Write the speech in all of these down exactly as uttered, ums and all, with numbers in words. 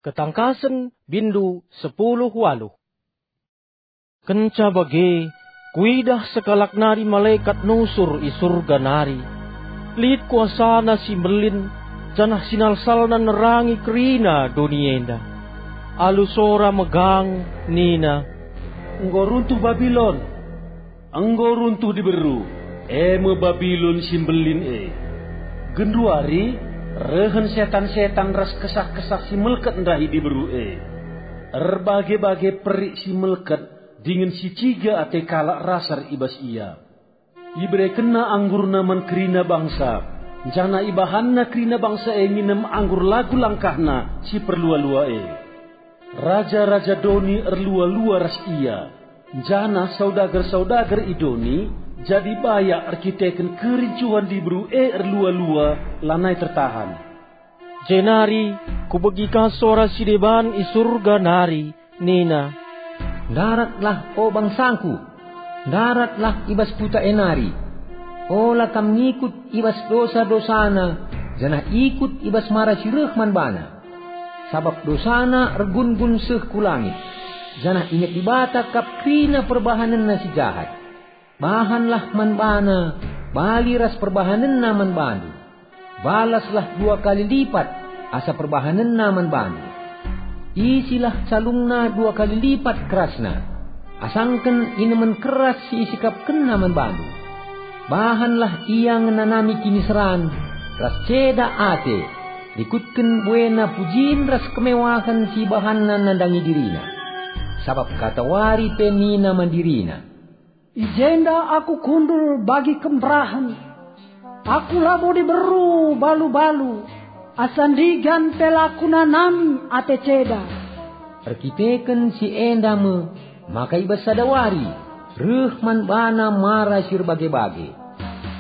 Ketangkasen, bindu sepuluh waluh. Kenca bage, kuidah sekalak nari malekat nusur i Surga nari. Lit kuasana si mbelin, janah sinalsalna nerangi kerina doni enda. Alu sora megang, nina, "Enggo runtuh Babilon! Enggo runtuh diberu, e me Babilon si mbelin e. Genduari rehen setan-setan ras kesah-kesah si melket ndahi diberu e. Erbage-bage perik si melket dingen si ciga ate kalak rasar i bas ia. Iberekenna anggurna man kerina bangsa, janah ibahanna kerina bangsa e nginem anggur lagu langkahna si perlua-lua e. Raja-raja doni erlua-lua ras ia, janah saudagar-saudagar i doni jadi bayak erkiteken kerincuhen diberu e erlua-lua lanai tertahan." Jenari kubegi ka sora si deban i Surga nari, nina, "Ndaratlah, o bangsangku! Ndaratlah i bas kuta e nari! Ola kam ngikut i bas dosa-dosana, janah ikut i bas mara si reh man bana. Sabap dosana ergun-gun seh ku langit, janah inget Dibata kap kerina perbahanenna si jahat. Bahanlah man bana bali ras perbahanenna man bandu. Balaslah dua kali lipat asa perbahanenna man bandu. Isilah calungna dua kali lipat kerasna, asangken inemen keras si isikapkenna man bandu. Bahanlah ia ngenanami kiniseran ras ceda ate, rikutken buena pujin ras kemewahen si ibahanna nandangi dirina. Sabap katawari pe nina man dirina, 'I jenda aku kundul bagi kemberahen. Aku labo diberu balu-balu, asa ndigan pe la kunanami ate ceda.'" Erkiteken si enda me maka i bas sada wari reh man bana mara si erbage-bage.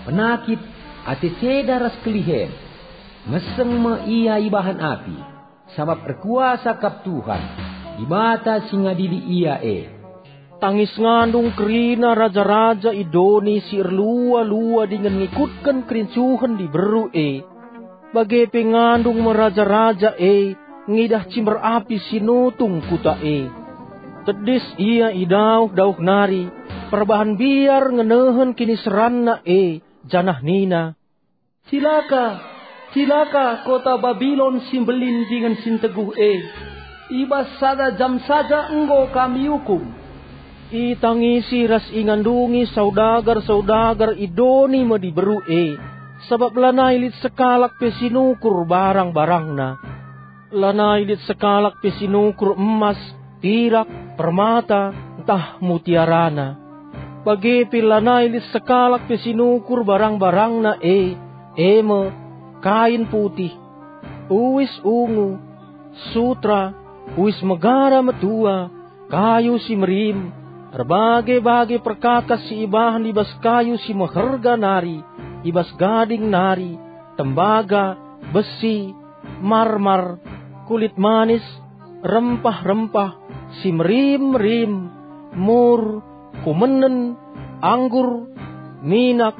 Penakit, ate ceda ras kelihen. Meseng me ia ibahan api, sabap erkuasa kap Tuhan, Dibata si ngadili ia e. Tangis ngandung kerina raja-raja i doni si erlua-lua dingen ngikutken kerincuhen diberu e. Bage pe ngandung me raja-raja e ngidah cimber api si nutung kuta e. Tedis ia i dauh-dauh nari, perbahan mbiar ngenehen kiniseranna e, janah nina, "Cilaka, cilaka kota Babilon si mbelin dingen si nteguh e! I bas sada jam saja enggo kam iukum." Itangisi ras ingandungi saudagar-saudagar i doni me diberu e, sabap lanai lit sekalak pe si nukur barang-barangna. Lanai lit sekalak pe si nukur emas, pirak, permata, ntah mutiarana. Bage pe lanai lit sekalak pe si nukur barang-barangna e, e me, kain putih, uis ungu, sutra, uis megara metua, kayu si merim, erbage-bage perkakas si ibahan i bas kayu si meherga nari, i bas gading nari, tembaga, besi, marmar, kulit manis, rempah-rempah, si merim-merim, mur, kumenen, anggur, minak,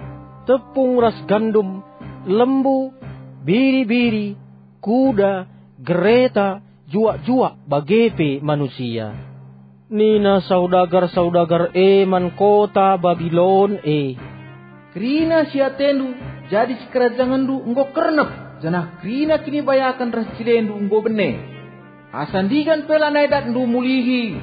tepung ras gandum, lembu, biri-biri, kuda, gereta, juak-juak, bage pe manusia. Nina saudagar-saudagar e man kota Babilon e, "Kerina si atendu jadi sikerajangenndu enggo kernep, janah kerina kinibayaken ras cilendu enggo bene. Asa ndigan pe lanai datndu mulihi."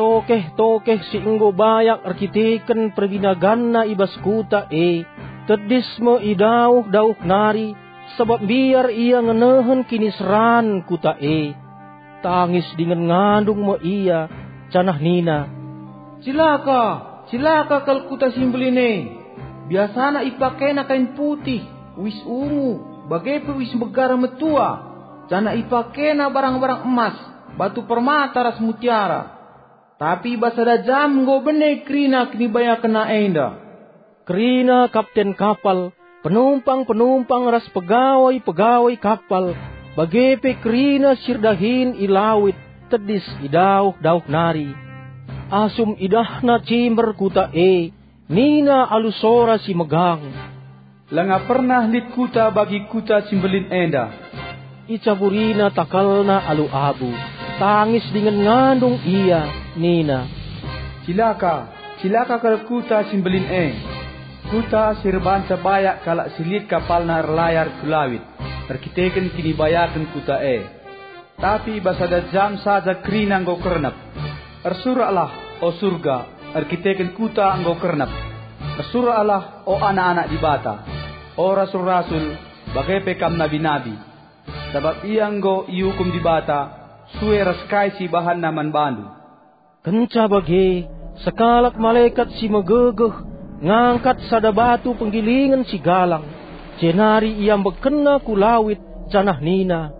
Tokeh-tokeh si enggo bayak erkiteken perbinaganna i bas kuta e, tedis me i dauh-dauh nari, sabap mbiar ia ngenehen kiniseran kuta e. Tangis dingen ngandung me ia, janah nina, "Cilaka, cilaka kal kuta si mbelin e! Biasana ipakena kain putih, uis ungu, bage pe uis megara metua, janah ipakena barang-barang emas, batu permata ras mutiara. Tapi i bas sada jam enggo bene kerina kinibayakenna enda." Kerina kapten kapal, penumpang-penumpang ras pegawai-pegawai kapal, bage pe kerina si erdahin i lawit tedis i dauh-dauh nari. Asum idahna cimber kuta e, nina alu sora si megang, "Langa pernah lit kuta bagi kuta si mbelin enda. Icaburina takalna alu abu, tangis dingen ngandung ia, nina, "Cilaka, cilaka kal kuta si mbelin e! Kuta si erbahanca bayak kalak si lit kapalna erlayar ku lawit erkiteken kinibayaken kuta e. Tapi i bas sada jam saja kerina enggo kernep. Ersuraklah, o Surga, erkiteken kuta enggo kernep. Ersuraklah, o anak-anak Dibata, o rasul-rasul, bage pe kam nabi-nabi. Sabap ia enggo iukum Dibata sue ras kai si ibahanNa man bandu." Kenca bage, sekalak malekat si megegeh ngangkat sada batu penggilingen si galang, jenari iambekkenna ku lawit, janah nina,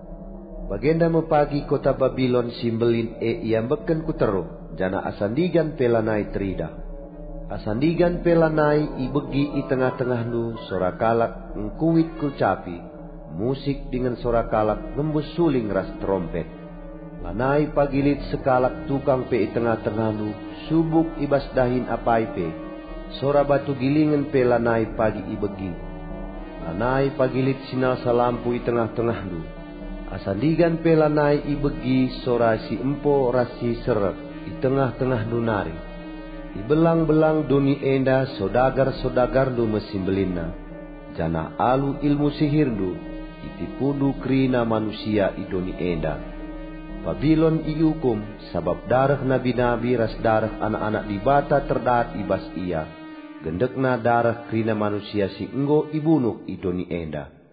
"Bagenda me pagi kota Babilon si mbelin e iambekken ku teruh, janah asa ndigan pe lanai teridah. Asa ndigan pe lanai ibegi i tengah-tengahndu sora kalak ngkuit ku capi, musik dingen sora kalak ngembus suling ras terompet. Lanai pagi lit sekalak tukang pe i tengah-tengahndu, subuk i bas dahin apai pe, sora batu gilingen pe lanai pagi ibegi. Lanai pagi lit si nasa lampu i tengah-tengahndu, asa ndigan pe lanai ibegi sora si empo ras si serek i tengah-tengahndu nari. I belang-belang doni enda sodagar-sodagarndu me si mbelinna, janah alu ilmu sihirndu, itipundu kerina manusia i doni enda. Babilon iukum, sabap dareh nabi-nabi ras dareh anak-anak Dibata terdat i bas ia, gendekna dareh kerina manusia si enggo ibunuh i doni enda."